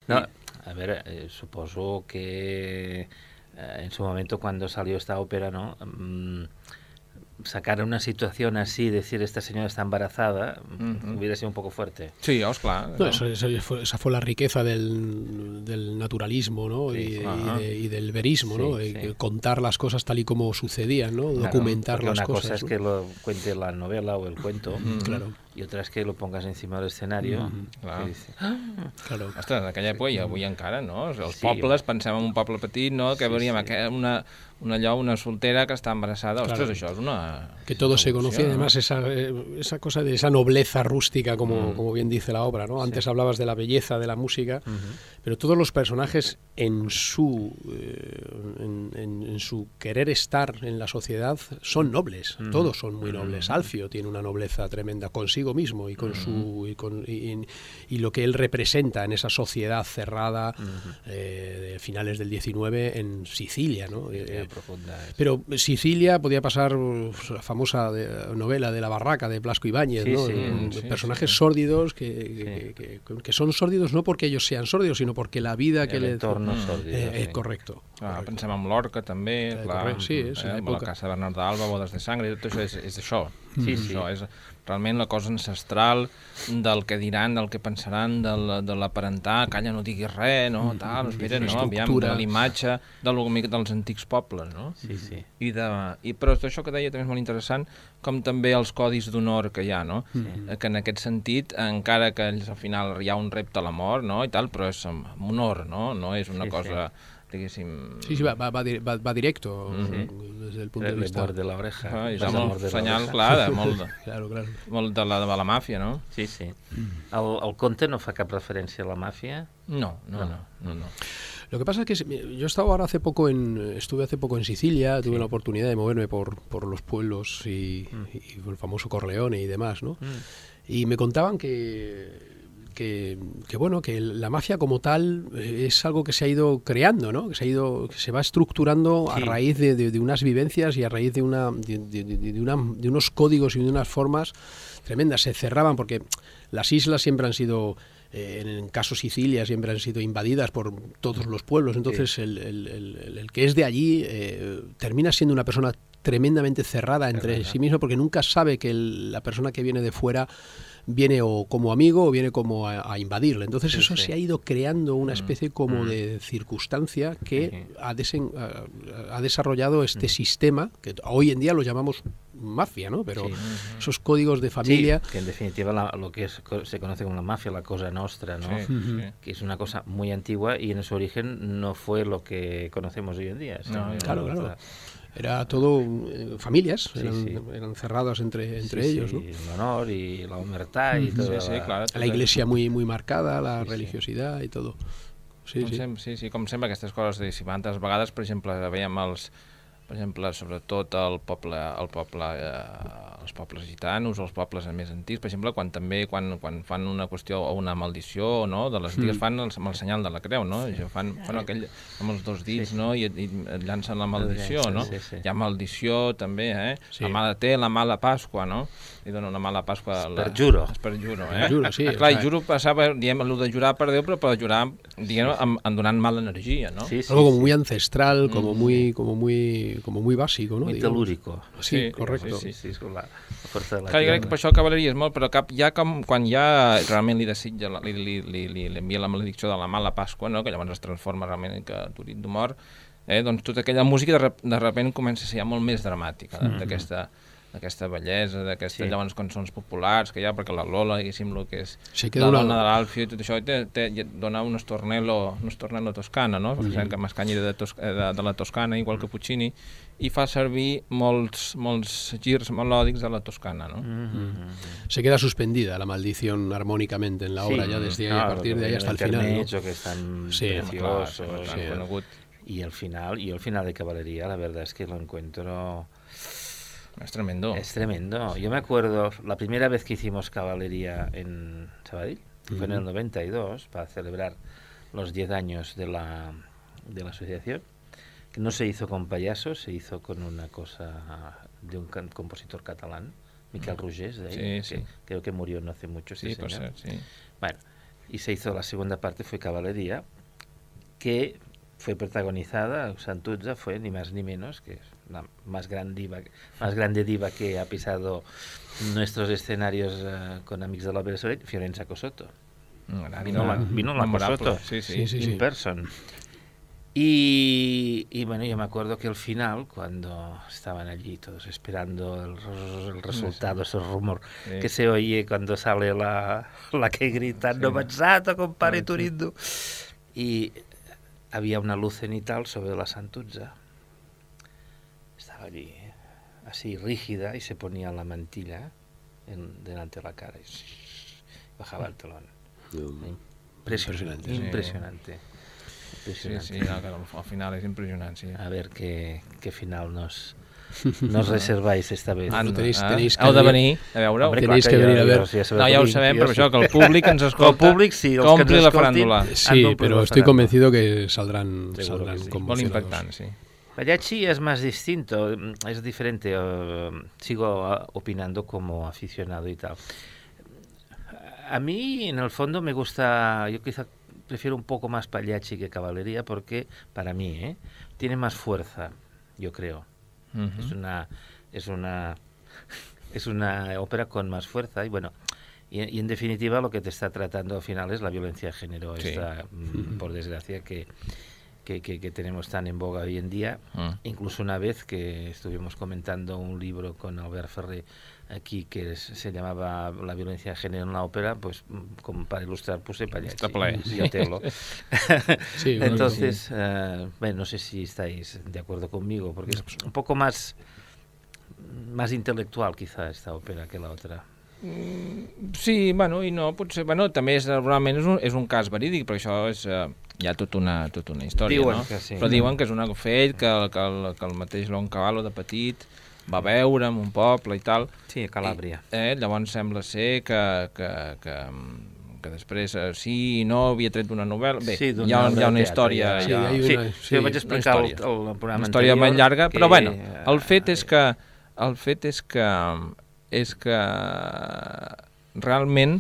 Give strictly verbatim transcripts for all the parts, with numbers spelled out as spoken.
No, a ver, eh, supongo que eh, en su momento cuando salió esta ópera, ¿no? Mm, sacar una situación así, decir esta señora está embarazada, uh-huh. hubiera sido un poco fuerte. Sí, oh, claro. No, eso, eso fue, esa fue la riqueza del, del naturalismo, ¿no? Sí, y, sí. y, de, y del verismo, sí, ¿no? Sí. De contar las cosas tal y como sucedían, ¿no? Claro, documentar las una cosas. Una cosa es ¿no? que lo cuente la novela o el cuento, mm, claro. y otra es que lo pongas encima del escenario. Mm, clar. Dice, ah, claro. Ostres, en aquella època i avui encara, no? Els Sí, pobles, pensem en un poble petit, no? Que sí, veuríem sí. una, una, allò, una soltera que està embarassada. Ostres, Claro. això és una... Que todo se conocía, ¿no? además esa, esa cosa de esa nobleza rústica, como, Mm. como bien dice la obra, ¿no? Antes sí. hablabas de la belleza de la música, uh-huh. pero todos los personajes en su, eh, en, en, en su querer estar en la sociedad son nobles, uh-huh. todos son muy nobles. Uh-huh. Alfio tiene una nobleza tremenda consigo mismo y con uh-huh. su y, con, y, y lo que él representa en esa sociedad cerrada uh-huh. eh, de finales del diecinueve en Sicilia, ¿no? Eh, profunda, pero Sicilia podía pasar la famosa de, novela de La Barraca de Blasco Ibáñez, sí, ¿no? sí, Mm, sí, personajes sí. sórdidos que, sí. que, que, que son sórdidos no porque ellos sean sórdidos, sino porque la vida que el le... entorno sórdido. Eh, eh, sí. correcto. Ah, correcto. pensem en Lorca també, Eh, clar, correcte, sí, és eh, l'època. la Casa de Bernat d'Alba, Bodes de Sangre, tot això és, és això. Sí, és sí. Això és realment la cosa ancestral del que diran, del que pensaran, del, de l'aparentar, calla, no diguis res, no, tal, espera, no, aviam, de l'imatge del, dels antics pobles, no? Sí, sí. I de, i, però això que deia també és molt interessant, com també els codis d'honor que hi ha, no? Mm. Que en aquest sentit, encara que ells, al final hi ha un repte a la mort, no? I tal, però és amb honor, no? No és una sí, cosa... Sí. diguéssim... Sí, sí, va, va, va, va directo mm-hmm. des del punt de Le vista... mort de l'oreja. Ah, és molt senyal clar, de, molt, de, claro, claro. molt de la, de la màfia, no? Sí, sí. El, el conte no fa cap referència a la màfia? No, no, no. no, no. Lo que pasa es que yo he estado ahora hace poco en, estuve hace poco en Sicilia, tuve sí. la oportunidad de moverme por, por los pueblos y, mm. y el famoso Corleone y demás, ¿no? Mm. Y me contaban que... Que, que bueno, que la mafia como tal es algo que se ha ido creando, ¿no? Que se ha ido, que se va estructurando sí. a raíz de, de, de unas vivencias y a raíz de una, de, de, de, una, de unos códigos y de unas formas tremendas. Se cerraban porque las islas siempre han sido, eh, en el caso Sicilia, siempre han sido invadidas por todos los pueblos. Entonces sí. el, el, el, el que es de allí eh, termina siendo una persona tremendamente cerrada entre sí mismo porque nunca sabe que el, la persona que viene de fuera viene o como amigo o viene como a, a invadirle. Entonces sí, eso sí. se ha ido creando una especie como mm. de circunstancia que mm. ha, desen, ha, ha desarrollado este mm. sistema, que hoy en día lo llamamos mafia, ¿no? Pero sí. esos códigos de familia... Sí, que en definitiva la, lo que es, se conoce como la mafia, la cosa nostra, ¿no? Sí, sí. Que es una cosa muy antigua y en su origen no fue lo que conocemos hoy en día. No, claro, claro. Otra... Era todo eh, familias, sí, eran, sí. eran cerradas entre, entre sí, ellos, sí, ¿no? El honor y la humertad y mm-hmm. todo. Sí, sí, clar, la iglesia muy, muy marcada, la sí, religiosidad sí. y todo. Sí, com sí. Sempre, sí, sí, com sempre aquestes coses, diguéssim, altres vegades, per exemple, veiem els, per exemple, sobretot el poble, el poble eh, els pobles gitanos o els pobles més antics, per exemple, quan també quan, quan fan una qüestió o una maldició, no? De les antigues mm. fan el, amb el senyal de la creu, no? I fan, fan aquell amb els dos dits, sí, sí. no? I, i llancen la maldició, no? Sí, sí. Hi ha maldició també, eh? Sí. La mala té la mala Pasqua, no? I dona una mala Pasqua... Es per juro. Es per juro, eh? Juro, sí. Ah, clar, i juro passava, diem, el de jurar per Déu, però per jurar, diguem, amb, amb donant mala energia, no? Sí, sí, Algo como sí. muy ancestral, mm. como muy como muy como muy básico, ¿no? Muy telúrico. Sí, sí, correcto. Sí, sí, sí, és la, la força de la clar, jo crec que per això cavalleria és molt, però cap, ja com, quan ja realment li desitja, li, li, li, li, li envia la maledicció de la mala Pasqua, no? Que llavors es transforma realment en que Turit de mort, eh? Doncs tota aquella música de, de repent comença a ser ja molt més dramàtica, mm-hmm. d'aquesta d'aquesta bellesa, d'aquestes sí. llavors cançons populars que hi ha, perquè la Lola, diguéssim, el que és sí, la una... dona de l'Alfio i tot això, te, te, dona un estornello, un estornello toscana, no? Perquè mm-hmm. que Mascagni de, tos, de, de la Toscana, igual que Puccini, i fa servir molts, molts girs melòdics de la Toscana, ¿no? Mm-hmm. Se queda suspendida la maldición armónicamente en la obra, sí, ya desde ahí, a partir de ahí hasta el final, ¿no? Que están sí, preciosos, claro, sí, conegut. Y el final, y el final de Caballería, la verdad es que lo encuentro... Es tremendo. Es tremendo. Yo me acuerdo, la primera vez que hicimos Caballería en Sabadell, uh-huh. fue en el noventa y dos, para celebrar los diez años de la, de la asociación, que no se hizo con payasos, se hizo con una cosa de un can- compositor catalán, Miquel uh-huh. Rogés, de ahí, sí, sí. que creo que murió no hace mucho. Sí, este por señor. ser, sí. Bueno, y se hizo la segunda parte, fue Caballería, que fue protagonizada, Santuzza fue ni más ni menos que la más gran diva, más grande diva que ha pisado nuestros escenarios uh, con Amics de l'Òpera de Sabadell, Fiorenza Cosotto. Mm, vino la, vino la Cosotto, sí, sí, sí, in sí. person. Y, y bueno, yo me acuerdo que al final, cuando estaban allí todos esperando el, el resultado, ese rumor sí. que se oye cuando sale la, la que grita, Sí. no pensato, compare Sí. Turindu. Y había una luz cenital sobre la Santuzza. Estaba allí, así rígida, y se ponía la mantilla en, delante de la cara y bajaba el telón. Impresionante, Impresionante, sí. impresionante. Sí, sí, no, que al final és impressionant, sí. A ver qué, qué final nos, nos reserváis esta vez. Anda, tenéis- eh? tenéis que Heu de venir- venir a veure-ho. Hombre, tenéis clar que jo- venir a ver. jo ja sabeu No, ja ho que sabem, jo però sí. això, que el públic ens escolta, El públic, sí, els que que ompli ens la escoltin, faràndula. han Sí, d'omplir pero la estoy faràndula. convencido que saldrán, Seguro saldrán que sí. Molt conmocionados. impactant, sí. Mariachi es más distinto, es diferente. Uh, sigo uh, opinando como aficionado y tal. A mí, en el fondo, me gusta, yo quizá prefiero un poco más Pagliacci que Caballería porque, para mí, ¿eh? tiene más fuerza, yo creo. Uh-huh. Es una es una es una ópera con más fuerza y bueno, y, y en definitiva lo que te está tratando al final es la violencia de género, Sí. esta, mm, por desgracia, que, que, que, que tenemos tan en boga hoy en día. Uh. Incluso una vez que estuvimos comentando un libro con Albert Ferrer aquí que es, se llamaba La violencia de género en la ópera, pues mm, como para ilustrar puse Pagliacci Está ple. y Otello. Sí, bueno, Entonces, eh, bueno, no sé si estáis de acuerdo conmigo, porque es un poco más, más intelectual quizá esta ópera que la otra. Sí, bueno, i no, potser, bueno, també és, realment és un, és un cas verídic, però això és, eh, hi ha tota una, tota una història, Diuen no? que sí. Però diuen que és un fet que, que, el, que el mateix Leoncavallo de petit va veure en un poble i tal. Sí, a Calàbria. I, eh, llavors sembla ser que, que, que, que després eh, sí i no havia tret una novel·la. Bé, Sí, d'una hi ha, hi ha obra una de història... teatre, Sí, ja, hay Sí, una- sí, jo vaig una explicar el, història. el, el programa una història anterior. molt llarga, que, però bueno, eh, el fet és que el fet és que és que realment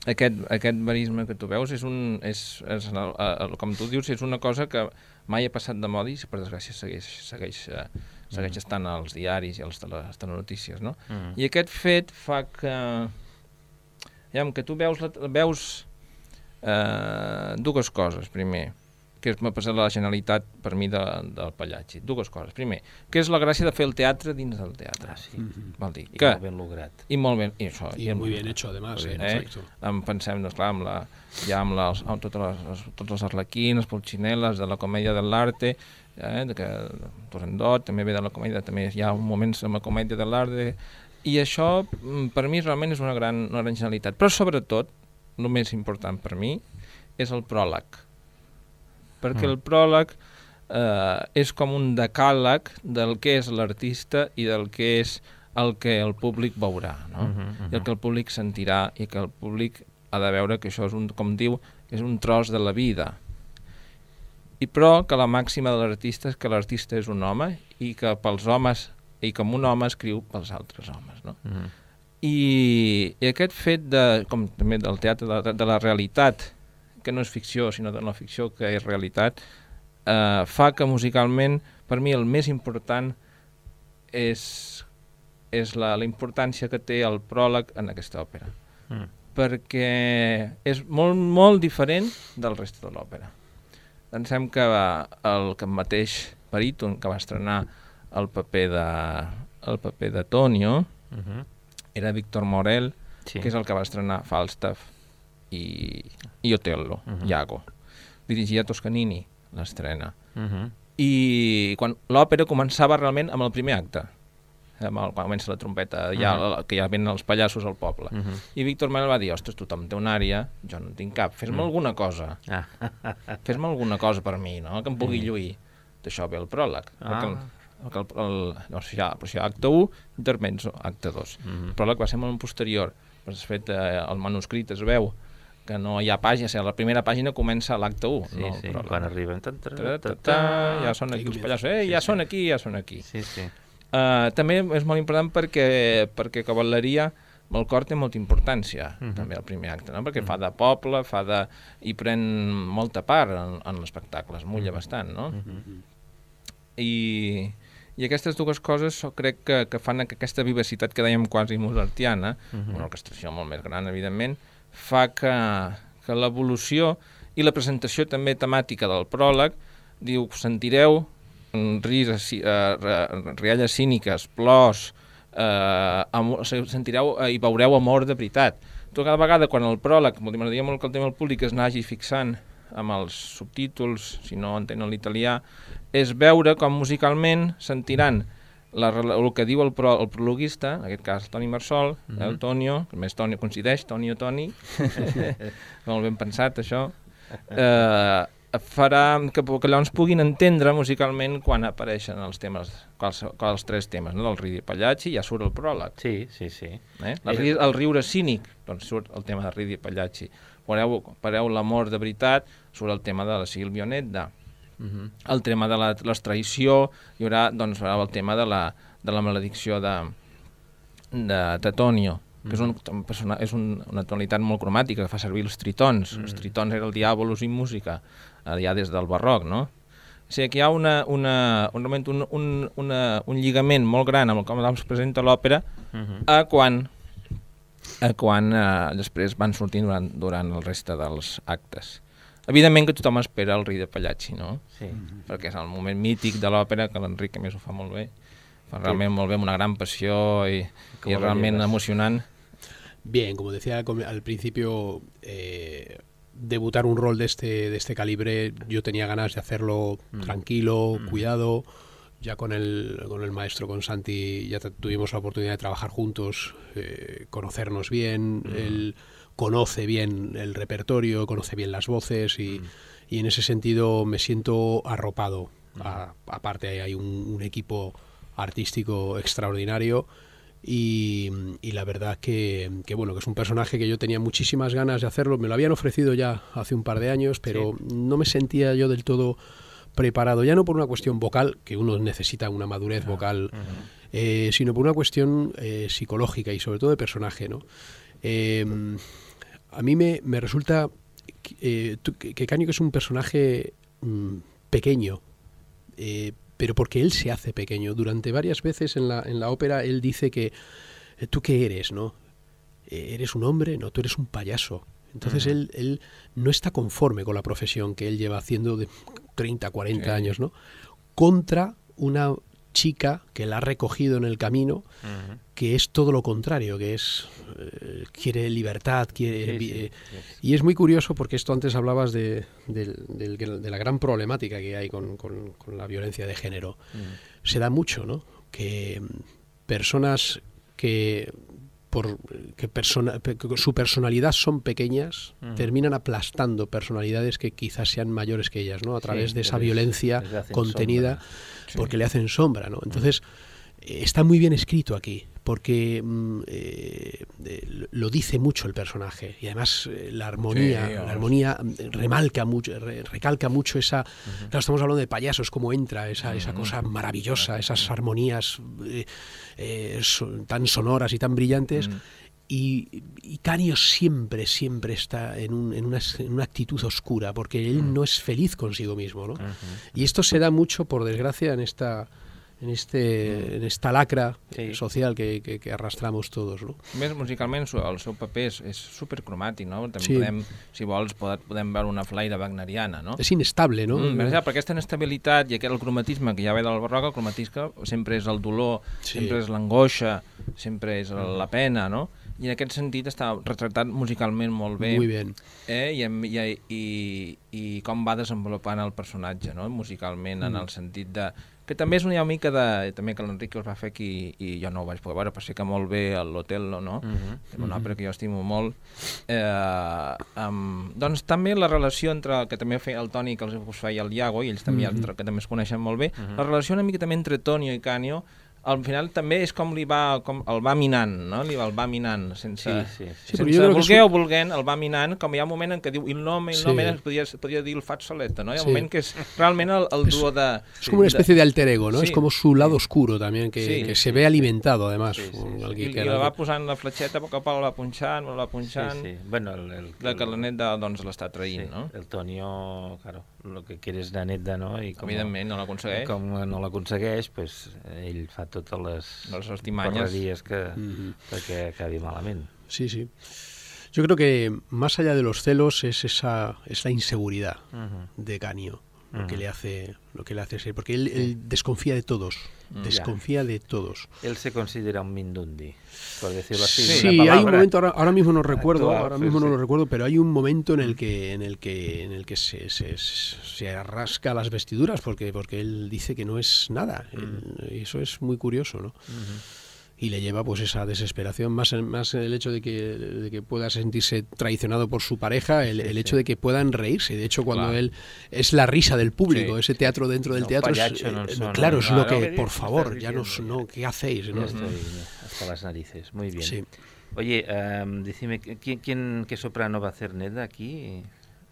aquest, aquest verisme que tu veus és un, és, és el, el, com tu dius, és una cosa que mai ha passat de moda i per desgràcia segueix, segueix, eh, segueix Mm. estant als diaris i a les, tele, les telenotícies, no? Mm. I aquest fet fa que, ja, que tu veus, la, veus eh, dues coses. Primer, que m'ha passat la genialitat per mi de, del Pagliacci. Dues coses. Primer, que és la gràcia de fer el teatre dins del teatre. Ah, sí. Ujú. Vol dir I que... molt ben lograt. I molt ben... I, això, Y muy bien hecho, además. Muy eh, bien, eh? exacto. Em pensem, doncs, clar, amb la, ja amb, les, amb totes les, les, tots els arlequins, les polxineles de la comèdia de l'arte, eh, de que Turandot també ve de la comèdia, també hi ha moments amb la comèdia de l'arte, i això mm, per mi realment és una gran, una gran genialitat. Però sobretot, el més important per mi és el pròleg, perquè Mm. el pròleg eh, és com un decàleg del que és l'artista i del que és el que el públic veurà, no? Mhm, mhm. I el que el públic sentirà i que el públic ha de veure que això és un, com diu, és un tros de la vida. I però que la màxima de l'artista és que l'artista és un home i que pels homes, i com un home escriu pels altres homes, no? Mhm. I, i aquest fet de, com també del teatre de, la- de la realitat, que no és ficció, sinó de la ficció que és realitat, eh, fa que musicalment, per mi el més important és, és la, la importància que té el pròleg en aquesta òpera, Mm. perquè és molt, molt diferent del reste de l'òpera. Pensem que el, que el mateix baríton que va estrenar el paper de, el paper de Tonio Mhm. era Víctor Morel, Sí. que és el que va estrenar Falstaff i, i Otello, Mhm. Iago. Dirigia Toscanini l'estrena. Mhm. I quan l'òpera començava realment amb el primer acte, amb el, quan comença la trompeta, ja, Mhm. que ja venen els pallassos al poble. Mhm. I Víctor Morel va dir, ostres, tothom té una àrea, jo no en tinc cap, fes-me Mm. alguna cosa, Ah. fes-me alguna cosa per mi, no? Que em pugui lluir. D'això ve el pròleg. Ah. Perquè el, perquè el, el, no, si hi ha, però si hi ha acte u, intermezzo, acte dos. Mhm. El pròleg va ser molt posterior, però de fet eh, el manuscrit es veu que no hi ha pàgina, o sigui, la primera pàgina comença a l'acte u, Sí, no sí, el pròleg. quan arriben... Tan, tan, Ta, ta, tan, ta, ja són Ahí aquí els comienza. pallassos, eh, Sí, ja sí. són aquí, ja són aquí. Sí, sí. Uh, també és molt important perquè, perquè Cavalleria el cor té molta importància, uh-huh. també el primer acte, no? Perquè uh-huh. fa de poble, fa de... i pren molta part en, en l'espectacle, es mulla uh-huh. bastant, no? Uh-huh. I, I aquestes dues coses crec que, que fan que aquesta vivacitat que dèiem quasi mozartiana, uh-huh. una orquestració molt més gran, evidentment, fa que, que l'evolució i la presentació també temàtica del pròleg, diu, sentireu ris, uh, rialles cíniques, plors, Uh, amor, sentireu uh, i veureu amor de veritat. Tot cada vegada quan el pròleg, m'agradaria molt que el tema del públic es n'hagi fixant amb els subtítols, si no entenen l'italià, és veure com musicalment sentiran la, el que diu el, pro, el prologuista, en aquest cas Toni Marsol, mm-hmm. el Tonio, que més Tonio coincideix, Tonio Toni, molt ben pensat això, eh, farà que, que llavors puguin entendre musicalment quan apareixen els temes, quals, quals tres temes, no? Del Ridi Pagliacci ja surt el pròleg. Sí, sí, sí. Eh? El, el riure cínic, doncs surt el tema de Ridi Pagliacci. Veureu, veureu l'amor de veritat, surt el tema de la Silvio Nedda. Uh-huh. El tema de la, l'extraïció, hi haurà doncs, el tema de la, de la maledicció de, de, de Tonio, que és, un, persona, és un, una tonalitat molt cromàtica, que fa servir els tritons. Mm. Els tritons era el diàbolus in música, ja des del barroc, no? O sigui, que hi ha una, una, un, un, un, una, un lligament molt gran amb el com es presenta l'òpera mm-hmm. a quan, a quan eh, després van sortint durant, durant el reste dels actes. Evidentment que tothom espera el Ridi de Pagliacci, no? Sí. Mm-hmm. Perquè és el moment mític de l'òpera, que l'Enric a més ho fa molt bé. Fa realment sí. molt bé, amb una gran passió i, i realment emocionant. Bien, como decía al principio, eh, debutar un rol de este, de este calibre, yo tenía ganas de hacerlo mm. tranquilo, mm. cuidado. Ya con el, con el maestro, con Santi, ya tuvimos la oportunidad de trabajar juntos, eh, conocernos bien. Mm. Él conoce bien el repertorio, conoce bien las voces y, mm. y en ese sentido me siento arropado. Mm. A, aparte hay un, un equipo artístico extraordinario. Y, y la verdad que, que bueno, que es un personaje que yo tenía muchísimas ganas de hacerlo. Me lo habían ofrecido ya hace un par de años, pero sí. no me sentía yo del todo preparado, ya no por una cuestión vocal, que uno necesita una madurez uh-huh. vocal, uh-huh. eh, sino por una cuestión eh, psicológica y sobre todo de personaje, ¿no? Eh, a mí me, me resulta eh, que Canio, que es un personaje mmm, pequeño, eh, pero porque él se hace pequeño. Durante varias veces en la, en la ópera él dice que ¿tú qué eres, no? ¿Eres un hombre? No, tú eres un payaso. Entonces uh-huh. él, él no está conforme con la profesión que él lleva haciendo de treinta, cuarenta sí. años, ¿no? Contra una chica que la ha recogido en el camino, uh-huh. que es todo lo contrario, que es eh, quiere libertad, quiere sí, sí, eh, sí. Y es muy curioso porque esto antes hablabas de, de, de, de la gran problemática que hay con, con, con la violencia de género. Uh-huh. Se da mucho, ¿no? Que personas que por que persona, que su personalidad son pequeñas, uh-huh. terminan aplastando personalidades que quizás sean mayores que ellas, ¿no? A través sí, de esa les, violencia les contenida, sí. porque le hacen sombra, ¿no? Entonces, uh-huh. está muy bien escrito aquí, porque eh, lo dice mucho el personaje y además eh, la armonía, sí, la armonía remalca mucho, re, recalca mucho esa. Uh-huh. Claro, estamos hablando de payasos, cómo entra esa, uh-huh. esa cosa maravillosa, uh-huh. esas armonías eh, eh, son, tan sonoras y tan brillantes. Uh-huh. Y, y Canio siempre, siempre está en, un, en, una, en una actitud oscura, porque él uh-huh. no es feliz consigo mismo, ¿no? Uh-huh. Y esto se da mucho, por desgracia, en esta. en, este, en esta lacra sí. social que, que, que arrastramos todos, no? Més musicalment el seu paper és, és supercromàtic, no? També sí. podem, si vols, podem veure una flaire wagneriana, no? És inestable, no? Mm, mm. Per aquesta inestabilitat i aquest cromatisme que ja ve del barroc, el cromatisme sempre és el dolor, sí. sempre és l'angoixa, sempre és la pena, no? I en aquest sentit està retratat musicalment molt bé. Muy bien. Eh? I, i, i, i com va desenvolupant el personatge, no? Musicalment, mm. en el sentit de... que també és una mica de... també que l'Enric us va fer aquí i jo no ho vaig poder veure, però sí que molt bé l'Otello, no? Uh-huh. Una òpera que jo estimo molt. Eh, um, doncs també la relació entre... que també feia el Toni, que els us feia el Iago, i ells també, uh-huh. que també es coneixen molt bé, uh-huh. la relació una mica també entre Tonio i Canio al final també és com li va, com el va minant, no? Li va, el va minant, sense, Sí, sí, sí. sense Sí, jo crec que voler és o volent, el va minant, com hi ha un moment en què diu il nome, il Sí. nome, es podria, podria dir el fazzoletta, no? Hi ha un Sí. moment que és realment el, el duo de... Es como una especie de alter ego, ¿no? Sí. Es como su lado oscuro también, que, Sí, que sí, se ve sí. alimentado además. Sí, sí, con sí. alguien I, que i la era- va posant la fletxeta, a poc a poc la va punxant, la va punxant, Sí, sí. Bueno, el, el, de que la el- neta doncs l'està sí, traint, no? el Tonio, claro, lo que quiere és la neta, no? I com, Evidentment, no l'aconsegueix. com no l'aconsegueix, pues, ell fa totes les Les artimanyes. correries que, Ujú. perquè acabi malament. Sí, sí. Yo creo que más allá de los celos es esa es la inseguridad Ujú. de Canio lo que Ujú. le hace lo que le hace ser, porque él, él desconfía de todos, Mm. desconfía de todos. Él se considera un mindundi, por decirlo así. Sí, una hay un palabra. momento, ahora, ahora mismo no recuerdo, actual, ahora sí, mismo no sí. lo recuerdo, pero hay un momento en el que en el que en el que se, se, se rasca las vestiduras porque porque él dice que no es nada. Él- y eso es muy curioso, ¿no? Ujú. Y le lleva pues esa desesperación, más, más el hecho de que, de que pueda sentirse traicionado por su pareja, el, Sí, el sí. hecho de que puedan reírse. De hecho, cuando Claro. él es la risa del público, Sí. ese teatro dentro del No, teatro, es, payacho no eh, son, claro, no, es no, lo no, que, ¿qué por dices? favor, ¿Qué ya estás no, diciendo? no, ¿qué hacéis? Ya ¿no? estoy hasta las narices. Muy bien. Sí. Oye, em, decime, ¿quién, quién, ¿qué soprano va a hacer Neda aquí?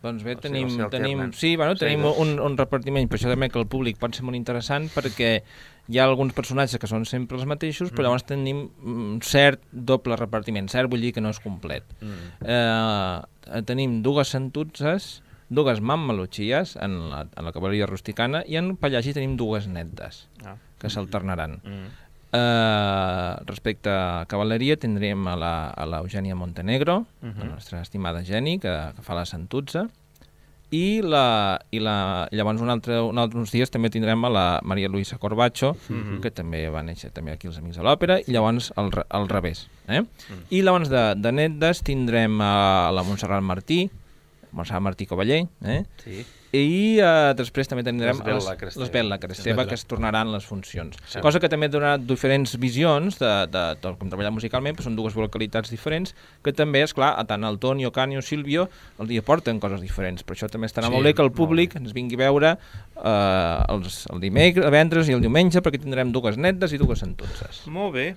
Doncs bé, O sigui, tenim, o sigui, tenim, alternen. sí, bueno, O sigui, tenim doncs- un, un repartiment, per això també que el públic pot ser molt interessant, perquè hi ha alguns personatges que són sempre els mateixos, però llavors tenim un cert doble repartiment. Cert vull dir que no és complet. Mm. Eh, tenim dues santutses, dues mammaluchies en la, en la cavalleria rusticana, i en Pallagi tenim dues netes, Ah. que s'alternaran. Mm. Uh, respecte a cavalleria tindríem a la, a la Eugènia Montenegro, uh -huh. la nostra estimada Geni, que, que fa la Santutza, i, la, i la, llavors un altre, un altre, uns dies també tindrem a la Maria Luisa Corbacho, uh -huh. que també va néixer també aquí als Amics de l'Òpera, i llavors al, al revés. Eh? Uh -huh. I llavors de, de netes tindrem a la Montserrat Martí, Montserrat Martí Cavaller, eh? Sí. I uh, després també tindrem L'Esbel Cresteva. l'Esbel Cresteva, Sí. que es tornaran les funcions. Sí. Cosa que també donarà diferents visions de, de, de com treballar musicalment, però són dues vocalitats diferents, que també, és clar, tant el Toni, o Cani o Sílvio els hi aporten coses diferents. Per això també estarà Sí, molt bé que el molt públic bé. ens vingui a veure eh, els, el dimecres, el divendres i el diumenge, perquè tindrem dues netes i dues santutses. Molt bé.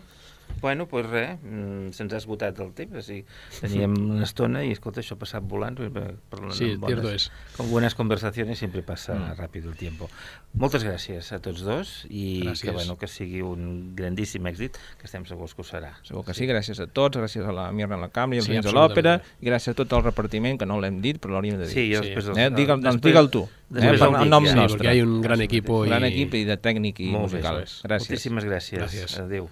Bueno, doncs pues res, mm, se'ns ha esgotat el temps, o sigui, teníem una estona i, escolta, això ha passat volant, parlant Sí, amb cierto bones, es. con buenas conversaciones siempre pasa Mm. rápido el tiempo. Moltes gràcies a tots dos i Gràcies. que, bueno, que sigui un grandíssim èxit, que estem segurs que ho serà. Segur que sí, gràcies a tots, gràcies a la Mirna la Cambra i als Sí, Veïns de l'Òpera, absolutament. i gràcies a tot el repartiment, que no l'hem dit, però l'hauríem de dir. Sí, jo Sí. després... Eh, digue'l, doncs després- digue'l tu, després eh, el per- en dic, nom ja. Sí, nostre. porque hay un gran equipo. Gran y... equip i de tècnic i Molt bé, musical. eso es. Gràcies. Moltíssimes gràcies. Gràcies. Adéu.